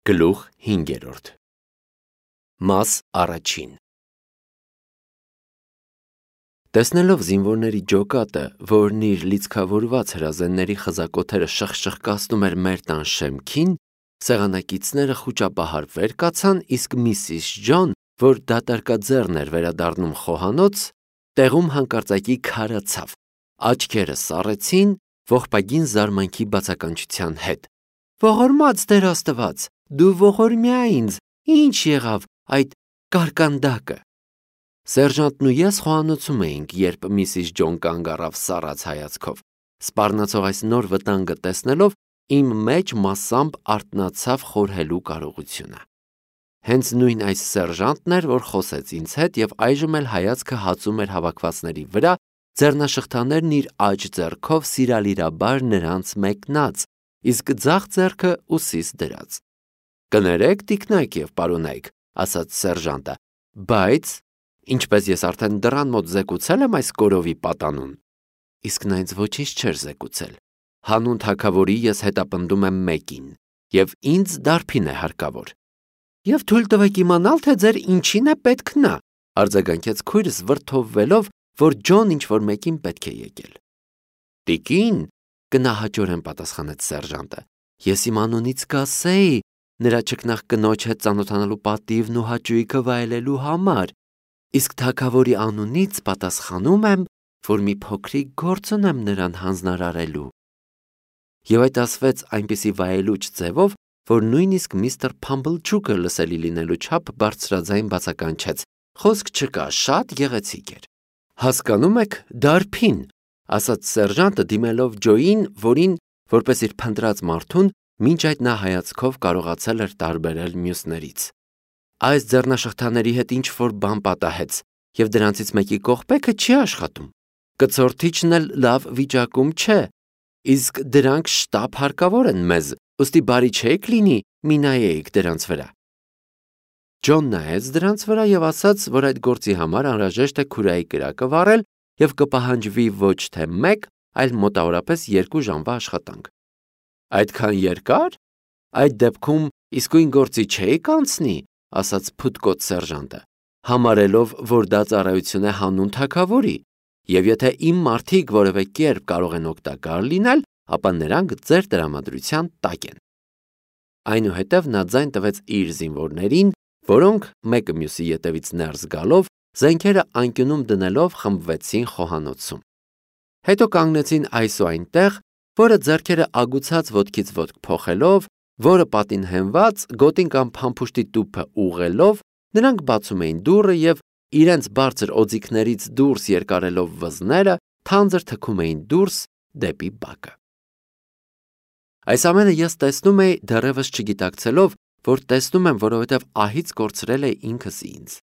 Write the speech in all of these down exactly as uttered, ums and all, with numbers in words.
Գլուխ հինգերորդ Մաս առաջին Տեսնելով զինվորների ջոկատը, որն իր լիցքավորված հրազենների խզակոթերը շխշխկացնում էր մեր տան շեմքին, սեղանակիցները խուճապահար վեր կացան, իսկ միսիս Ջոն, որ դատարկաձեռն էր վերադառնում խոհանոց, տեղում հանկարծակի քարացավ, աչքերը սառեցին ողբագին զարմանքի բացականչության հետ. «Ողորմած Տեր Աստված, դու ողորմյա ինձ, ինչ եղավ այդ կարկանդակը»։ Սերժանտն ու ես խոհանոցում էինք, երբ միսիս Ջոն կանգ առավ սառած հայացքով։ Սպառնացող այս նոր վտանգը տեսնելով, իմ մեջ մասամբ արթնացավ խորհելու կարողությունը։ Հենց նույն այս սերժանտն էր, որ խոսեց ինձ հետ և այժմ էլ հայացքը հածում էր հավաքվածների վրա, ձեռնաշղթաներն իր աջ ձեռքով սիրալիրաբար նրանց մեկնած, իսկ ձախ ձեռքը ուսիս դրած։ «Կներեք, տիկնայք և պարոնայք», ասաց սերժանտը, «բայց ինչպես ես արդեն դռան մոտ զեկուցել եմ այս կորովի պատանուն»։ Իսկ նա ինձ ոչինչ չէր զեկուցել։ Հանուն թագավորի ես հետապնդում եմ մեկին, և ինձ դարբին է հարկավոր։ «Եվ թույլ տվեք իմանալ, թե ձեր ինչին է պետք նա», արձագանքեց քույրս վրդովվելով, որ Ջոն ինչ-որ մեկին պետք է եկել։ «Տիկին», գնահաճորեն պատասխանեց սերժանտը, «ես իմ անունից կասեի նրա չքնաղ կնոջ հետ ծանոթանալու պատիվն ու հաճույքը վայելելու համար, իսկ թագավորի անունից պատասխանում եմ, որ մի փոքրիկ գործ ունեմ նրան հանձնարարելու»։ Եվ այդ ասվեց այնպիսի վայելուչ ձևով, որ նույնիսկ միստր Փամբլչուկը լսելի լինելու չափ բարձրաձայն բացականչեց. «Խոսք չկա, շատ գեղեցիկ էր»։ «Հասկանում եք, դարբին», ասաց սերժանտը, դիմելով Ջոյին, որին, որպես իր փնտրած մարդուն, մինչ այդ նա հայացքով կարողացել էր տարբերել մյուսներից։ «Այս ձեռնաշղթաների հետ ինչ-որ բան պատահեց, և դրանցից մեկի կողպեքը չի աշխատում։ Կցորդիչն էլ լավ վիճակում չէ, իսկ դրանք շտապ հարկավոր են մեզ, ուստի բարի չէիք լինի մի նայեիք դրանց վրա»։ Ջոն նայեց դրանց վրա և ասաց, որ այդ գործի համար անհրաժեշտ է քուրայի կրակը վառել և կպահանջվի ոչ թե մեկ, այլ մոտավորապես երկու ժամվա աշխատանք։ «Այդքան երկա՞ր, այդ դեպքում իսկույն գործի չէի՞ք անցնի», ասաց փուտկոտ սերժանտը, համարելով, որ դա ծառայություն է հանուն թագավորի, և եթե իմ մարդիկ որևէ կերպ կարող են օգտակար լինել, ապա նրանք ձեր տրամադրության տակ են։ Այնուհետև նա ձայն տվեց իր զինվորներին, որոնք, մեկը մյուսի ետևից ներս գալով, զենքերը անկյունում դնելով խմբվեցին խոհանոցում։ Հետո կանգնեցին այս ու այնտեղ, որը ձեռքերը ագուցած ոտքից ոտք փոխելով, որը պատին հենված, գոտին կամ փամփուշտի տուփը ուղղելով, նրանք բացում էին դուռը և, իրենց բարձր օձիքներից դուրս երկարելով վզները, թանձր թքում էին դուրս դեպի բակը։ Այս ամենը ես տեսնում էի, դեռևս չգիտակցելով, որ տեսնում եմ, որովհետև ահից կորցրել էի ինքս ինձ։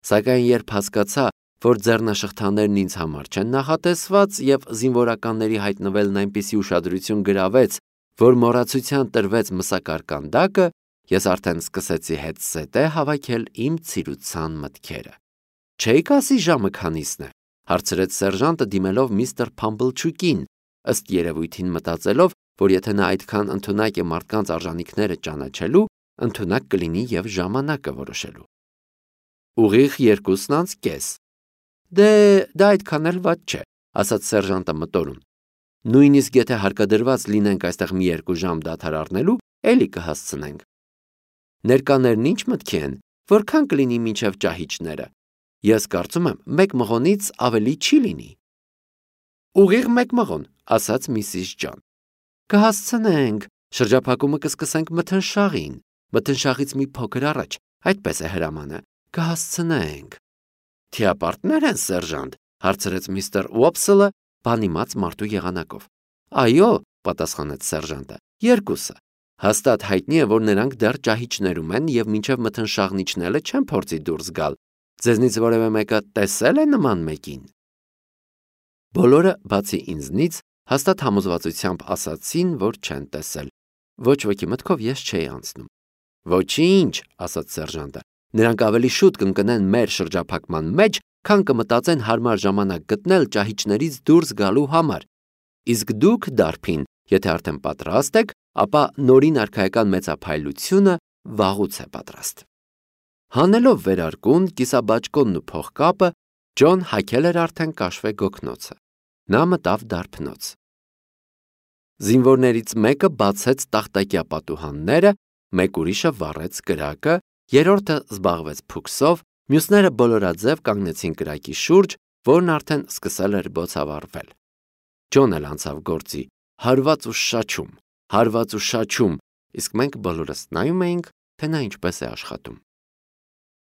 Սակայն երբ հասկացա, որ ձեռնաշղթաներն ինձ համար չեն նախատեսված և զինվորականների հայտնվելն այնպիսի ուշադրություն գրավեց, որ մոռացության տրվեց մսակարկանդակը, ես արդեն սկսեցի հետզհետե հավաքել իմ ցիրուցան մտքերը։ «Չէի՞ք ասի ժամը քանիսն է», հարցրեց սերժանտը դիմելով միստր Փամբլչուկին, ըստ երևույթին մտածելով, որ եթե նա այդքան ընդունակ է մարդկանց արժանիքները ճանաչելու, ընդունակ կլինի և ժամանակը որոշելու։ «Ուղիղ երկուսն անց կես»։ «Դե, դա այդքան էլ վատ չէ», ասաց սերժանտը մտորում։ «Նույնիսկ եթե հարկադրված լինենք այստեղ մի երկու ժամ դադար առնելու, էլի կհասցնենք»։ «Ներկաներն ինչ մտքի են, որքան կլինի մինչև ճահիճները»։ «Ես կարծում եմ, մեկ մղոնից ավելի չի լինի»։ «Ուղիղ մեկ մղոն», ասաց միսիս Ջոն։ «Կհասցնենք, շրջափակումը կսկսենք մթնշաղին, մթնշաղից մի փոքր առաջ, այդպես է հրամանը, կհասցնենք»։ «Թիապարտ՞ներ են, սերժանտ», հարցրեց միստր Ուոփսլը բանիմաց մարդու եղանակով։ «Այո», պատասխանեց սերժանտը, «երկուսը։ Հաստատ հայտնի է, որ նրանք դեռ ճահիճներում են և մինչև մթնշաղն իջնելը չեն փորձի դուրս գալ։ Ձեզնից որևէ մեկը տեսե՞լ է նման մեկին»։ Բոլորը, բացի ինձնից, հաստատ համոզվածությամբ ասացին, որ չեն տեսել։ Ոչ ոքի մտքով ես չէի անցնում։ «Ոչինչ», ասաց սերժանտը, «նրանք ավելի շուտ կընկնեն մեր շրջափակման մեջ, քան կմտածեն հարմար ժամանակ գտնել ճահիճներից դուրս գալու համար։ Իսկ դուք, դարբին, եթե արդեն պատրաստ եք, ապա նորին արքայական մեծափայլությունը վաղուց է պատրաստ։ Հանելով վերարկուն, կիսաբաճկոնն ու փողկապը, Ջոն հագել էր արդեն կաշվե գոգնոցը։ Նա մտավ դարբնոց։ Զինվորներից մեկը բացեց տախտակյա պատուհանները, մեկ ուրիշը վառեց կրակը, երրորդը զբաղվեց փուքսով, մյուսները բոլորաձև կանգնեցին կրակի շուրջ, որն արդեն սկսել էր բոցավառվել։ Ջոնն էլ անցավ գործի, հարված ու շաչում, հարված ու շաչում, իսկ մենք բոլորս նայում էինք, թե նա ինչպես է աշխատում։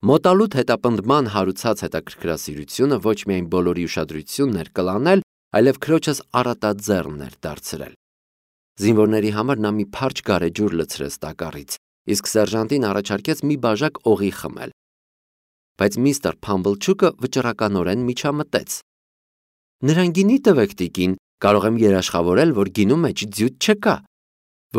Մոտալուտ հետապնդման հարուցած հետաքրքրասիրությունը ոչ միայն բոլորի ուշադրությունն էր կլանել, այլև քրոջս առատաձեռնն էր դարձրել։ Զինվորների համար նա մի փարչ գարեջուր լցրեց տակառից, իսկ սերժանտին առաջարկեց մի բաժակ օղի խմել։ Բայց միստր Փամբլչուկը վճռականորեն միջամտեց։ Նրան գինի տվեք, տիկին, կարող եմ երաշխավորել, որ գինու մեջ ձյութ չկա,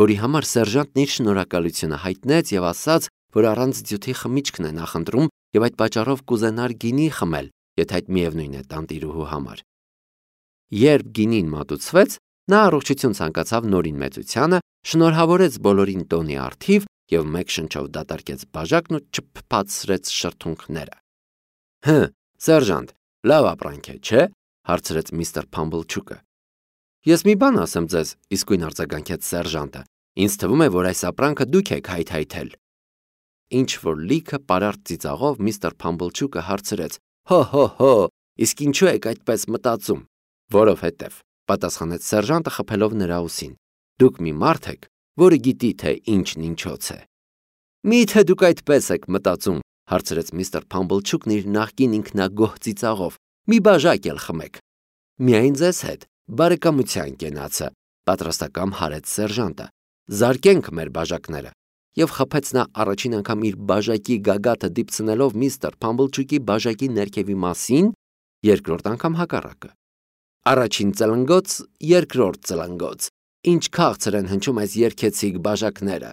որի համար սերժանտն իր շնորհակալությունը հայտնեց եւ ասաց, որ առանց ձյութի խմիչքն է նախընտրում եւ այդ պատճառով կուզենար գինի խմել, եթե այդ միևնույն է տանտիրուհու համար։ Երբ գինին մատուցվեց, նա առողջություն ցանկացավ նորին մեծությանը, շնորհավորեց բոլորին տոնի առթիվ եւ մեկ շնչով դատարկեց բաժակն ու չփփացրեց շրթունքները։ Հը, սերժանտ, լավ ապրանք է, չէ՞, հարցրեց միստր Փամբլչուկը։ Ես մի բան ասեմ ձեզ, իսկույն արձագանքեց սերժանտը։ Ինձ թվում է, որ այս ապրանքը դուք եք հայթայթել։ Ինչ որ լիքը պարարտ ծիծաղով միստր Փամբլչուկը հարցրեց. Հո հո հո, իսկ ինչու եք այդպես մտածում։ Որովհետև, պատասխանեց սերժանտը խփելով նրա ուսին։ Դուք մի մարդ եք, որը գիտի, թե ինչն ինչոց է։ Մի՞թե դուք այդպես եք մտածում, հարցրեց միստր Փամբլչուկն իր նախկին ինքնագոհ ծիծաղով։ Մի բաժակ էլ խմեք։ Միայն ձեզ հետ, բարեկամության կենացը, պատրաստակամ հարեց սերժանտը։ Զարկենք մեր բաժակները։ Եվ խփեց նա առաջին անգամ իր բաժակի գագաթը դիպցնելով միստր Փամբլչուկի բաժակի ներքևի մասին, երկրորդ անգամ հակառակը։ Առաջին ծլնգոց, երկրորդ ծլնգոց, ինչ քաղցր են հնչում այս երգեցիկ բաժակները։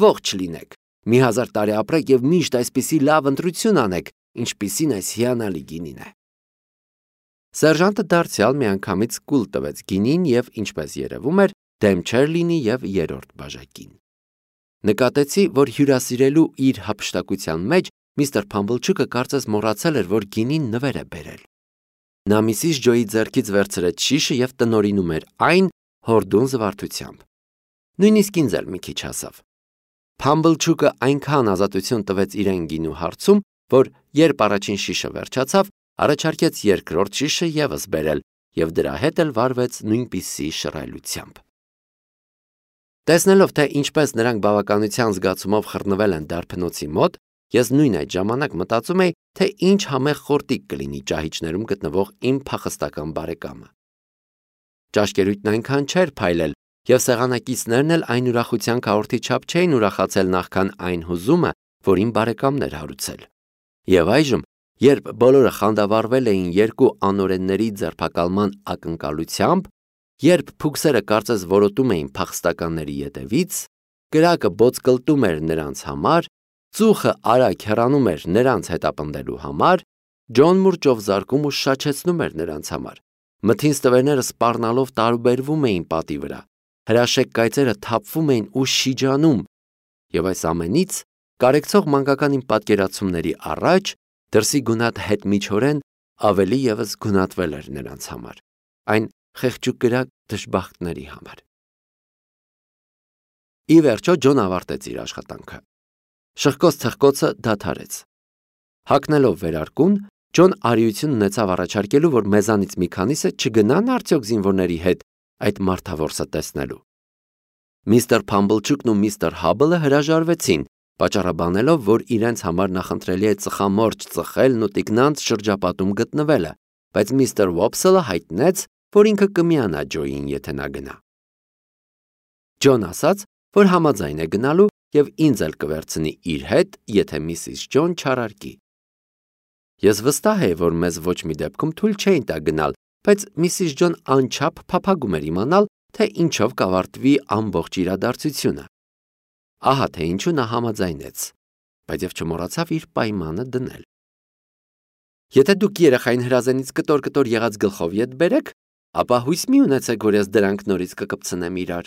Ողջ լինեք, մի հազար տարի ապրեք եւ միշտ այսպիսի լավ ընտրություն անեք, ինչպիսին այս հիանալի գինին է։ Սերժանտը դարձյալ միանգամից կուլ տվեց գինին եւ, ինչպես երևում էր, դեմ չէր լինի եւ երրորդ բաժակին։ Նկատեցի, որ հյուրասիրելու իր հափշտակության մեջ միստր Փամբլչուկը կարծես մոռացել էր, որ գինին նվեր է բերել։ Նա միսիս Ջոյի ձեռքից վերցրեց շիշը եւ տնորինում էր այն հորդուն զվարթությամբ։ Նույնիսկ ինձ էլ մի քիչ հասավ։ Փամբլչուկը այնքան ազատություն տվեց իրեն գինու հարցում, որ երբ առաջին շիշը վերջացավ, առաջարկեց երկրորդ շիշը եւս բերել եւ դրա հետ էլ վարվեց նույնպիսի շռայլությամբ։ Տեսնելով, թե ինչպես նրանք բավականության զգացումով խռնվել են դարբնոցի մոտ, ես նույն այդ ժամանակ մտածում էի, թե ինչ համեղ խորտիկ կլինի ճահիճներում գտնվող իմ փախստական բարեկամը։ Ճաշկերույթն այնքան չէր փայլել, եւ սեղանակիցներն էլ այն ուրախության քառորդի չափ չէին ուրախացել նախքան այն հուզումը, որ իմ բարեկամն էր հարուցել։ Եվ այժմ, երբ բոլորը խանդավառվել էին երկու անօրենների ձերբակալման ակնկալությամբ, երբ փուքսերը կարծես որոտում էին փախստականների ետևից, կրակը բոցկլտում էր նրանց համար, ծուխը արագ հեռանում էր նրանց հետապնդելու համար, Ջոն մուրճով զարկում ու շաչեցնում էր նրանց համար։ Մթին ստվերները սպառնալով տարուբերվում էին պատի վրա, հրաշեկ կայծերը թափվում էին ու շիջանում, եւ այս ամենից կարեկցող մանկական իմ պատկերացումների առաջ դրսի գունատ հետ միջորեն ավելի եւս գունատվել էր նրանց համար, այն խեղճուկրակ դժբախտների համար։ Ի վերջո Ջոն ավարտեց իր աշխատանքը։ Շղկոց թխկոցը դադարեց։ Հագնելով վերարկուն, Ջոն արիություն ունեցավ առաջարկելու, որ մեզանից մի քանիսը չգնան արդյոք զինվորների հետ այդ մարդավորսը տեսնելու։ Միստր Փամբլչուկն ու միստր Հաբլը հրաժարվեցին, պատճառաբանելով, որ իրենց համար նախընտրելի է ծխամորճ ծխելն ու տիկնանց շրջապատում գտնվելը, բայց միստր Վոփսելը հայտնեց, որ ինքը կմիանա Ջոյին, եթե նա գնա։ Ջոն ասաց, որ համաձայն է գնալու եւ ինձ էլ կվերցնի իր հետ, եթե միսիս Ջոն չարարկի։ Ես վստահ եմ, որ մեզ ոչ մի դեպքում թույլ չէին տա գնալ, բայց միսիս Ջոն անչափ փափագում էր իմանալ, թե ինչով կավարտվի ամբողջ իրադարձությունը։ Ահա թե ինչու նա համաձայնեց, բայց եւ չմոռացավ իր պայմանը դնել։ Եթե դուք երեխային հրազենից կտոր-կտոր եղած գլխով ետ բերեք, ապա հույս մի ունեցեք, որ ես դրանք նորից կկպցնեմ իրար։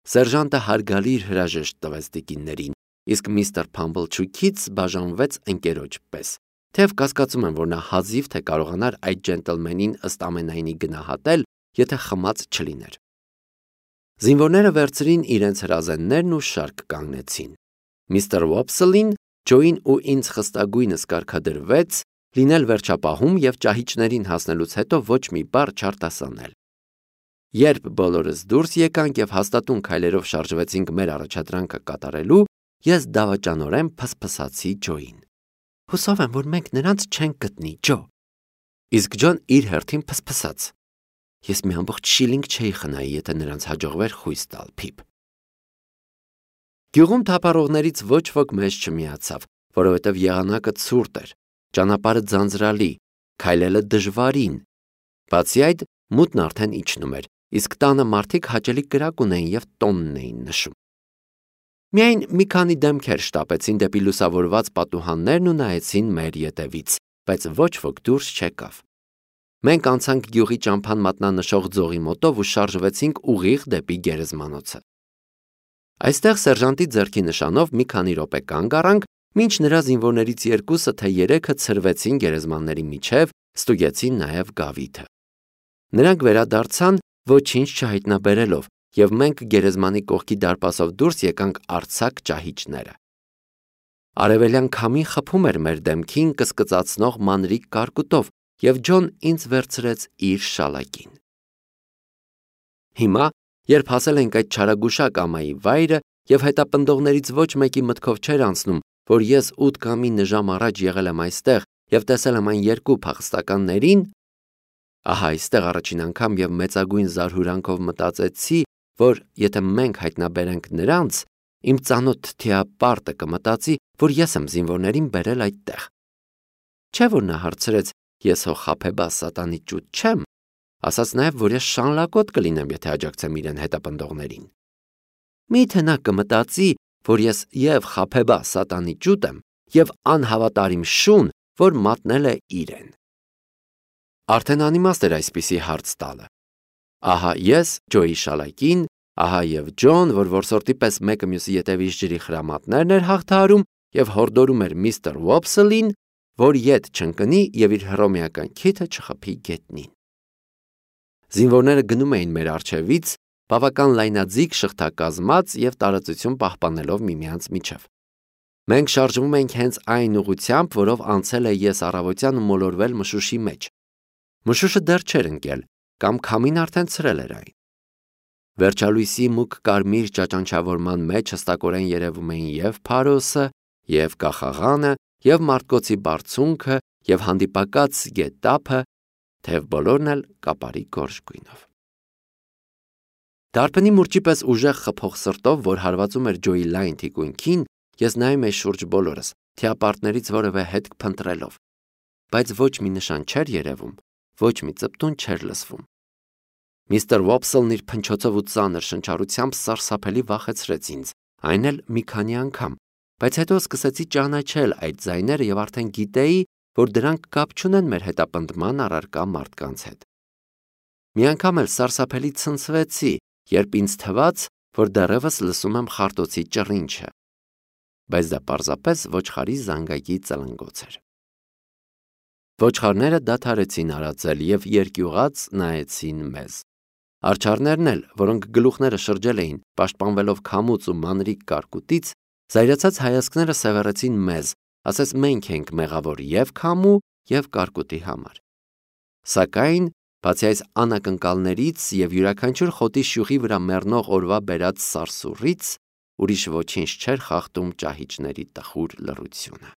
Սերժանտը հարգալի իր հրաժեշտ տվեց տիկիններին իսկ միստր Փամբլչուքից բաժանվեց ընկերոջ պես, թեև կասկածում եմ, որ նա հազիվ թե կարողանար այդ ջենտլմենին ըստ ամենայնի գնահատել, եթե խմած չլիներ։ Զինվորները վերցրին իրենց հրազեններն ու շարք կանգնեցին։ Միստր Ոփսլին Ջոին ու ինձ խստագույնս կարգադրվեց լինել վերջապահում և ճահիճներին հասնելուց հետո ոչ մի բառ չարտասանել։ Երբ բոլորս դուրս եկանք և հաստատուն քայլերով շարժվեցինք մեր առաջադրանքը կատարելու, ես դավաճանորեն փսփսացի Ջոին։ Հուսով եմ, որ մենք նրանց չենք գտնի, Ջո։ Իսկ Ջոն իր հերթին փսփսաց։ Ես մի ամբողջ շիլինգ չէի խնայի, եթե նրանց հաջողվեր խույս տալ, Փիփ։ Գյուղում թափառողներից ոչ ոք մեզ չմիացավ, որովհետև եղանակը ցուրտ էր, ճանապարհը ձանձրալի, քայլելը դժվարին։ Բացի այդ, մութն արդեն իջնում էր, իսկ տանը մարդիկ հաճելի կրակ ունեին և տոնն էին նշում։ Միայն մի քանի դեմքեր շտապեցին դեպի լուսավորված պատուհաններն ու նայեցին մեր ետևից, բայց ոչ ոք դուրս չեկավ։ Մենք անցանք գյուղի ճամփան մատնանշող ձողի մոտով ու շարժվեցինք ուղիղ դեպի գերեզմանոցը։ Այստեղ սերժանտի ձեռքի նշանով մի քանի րոպե կանգ առանք, մինչ նրա զինվորներից երկուսը թե երեքը ցրվեցին գերեզմանների միջև, ստուգեցին նաև գավիթը։ Նրանք վերադարձան ոչինչ չհայտնաբերելով, և մենք գերեզմանի կողքի դարպասով դուրս եկանք արձակ ճահիճները։ Արևելյան քամին խփում էր մեր դեմքին կսկծացնող մանրիկ կարկուտով, և Ջոն ինձ վերցրեց իր շալակին։ Հիմա, երբ հասել ենք այդ չարագուշակ ամայի վայրը, և հետապնդողներից ոչ մեկի մտքով չէր անցնում, որ ես ութ կամ ինը ժամ առաջ եղել եմ այստեղ և տեսել եմ այն երկու փախստականներին, ահա այստեղ առաջին անգամ և մեծագույն զարհուրանքով մտածեցի, որ եթե մենք հայտնաբերենք նրանց, իմ ծանոթ թթիապարտը կմտածի, որ ես եմ զինվորներին բերել այդտեղ։ Չէ՞ որ նա հարցրեց, ես հո խաբեբա սատանի ճուտ չեմ, ասաց նաև, որ ես շանլակոտ կլինեմ, եթե աջակցեմ իրեն հետապնդողներին։ Մի՞թե նա կմտածի, որ ես և խաբեբա սատանի ճուտ եմ, և անհավատարիմ շուն, որ մատնել է իրեն։ Արդեն անիմաստ էր այսպիսի հարց տալը։ Ահա ես Ջոյի շալակին, ահա և Ջոն, որ որսորդի պես մեկը մյուսի ետևից ջրի խրամատներն էր հաղթահարում և հորդորում էր միստր Ոփսլին, որ ետ չընկնի և իր հռոմեական քիթը չխփի գետնին։ Զինվորները գնում էին մեր առջևից, բավական լայնաձիգ շղթակազմած և տարածություն պահպանելով միմյանց միջև։ Մենք շարժվում էինք հենց այն ուղղությամբ, որով անցել է ես առավոտյան ու մոլորվել մշուշի մեջ։ Մշուշը դեռ չէր ընկել, կամ քամին արդեն ցրել էր այն։ Վերջալույսի մուգ կարմիր ճաճանչավորման մեջ հստակորեն երևում էին և Փարոսը, և Կախաղանը, և Մարտկոցի բարձունքը, և հանդիպակաց գետափը, թեև բոլորն էլ կապարի գորշ գույնով։ Դարբնի մուրճի պես ուժեղ խփող սրտով, որ հարվածում էր Ջոյի լայն թիկունքին, ես նայում էի շուրջ բոլորս, թիապարտներից որևէ հետք փնտրելով, բայց ոչ մի նշան չէր երևում, ոչ մի ծպտուն չէր լսվում։ Միստր Ոփսլն իր փնչոցով ու ծանր շնչառությամբ սարսափելի վախեցրեց ինձ, այն էլ մի քանի անգամ, բայց հետո սկսեցի ճանաչել այդ ձայները և արդեն գիտեի, որ դրանք կապ չունեն մեր հետապնդման առարկա մարդկանց հետ։ Մի անգամ էլ սարսափելի ցնցվեցի, երբ ինձ թվաց, որ դեռևս լսում եմ խարտոցի ճռինչը, բայց դա պարզապես ոչխարի զանգակի ծլնգոց էր։ Ոչխարները դադարեցին արածել և երկյուղած նայեցին մեզ։ Արջառներն էլ, որոնք գլուխները շրջել էին, պաշտպանվելով քամուց ու մանրիկ կարկուտից, զայրացած հայացքները սևեռեցին մեզ, ասես մենք ենք մեղավոր և քամու, և կարկուտի համար։ Սակայն, բացի այս անակնկալներից և յուրաքանչյուր խոտի շյուղի վրա մեռնող օրվա բերած սարսուռից, ուրիշ ոչինչ չէր խախտում ճահիճների տխուր լռությունը։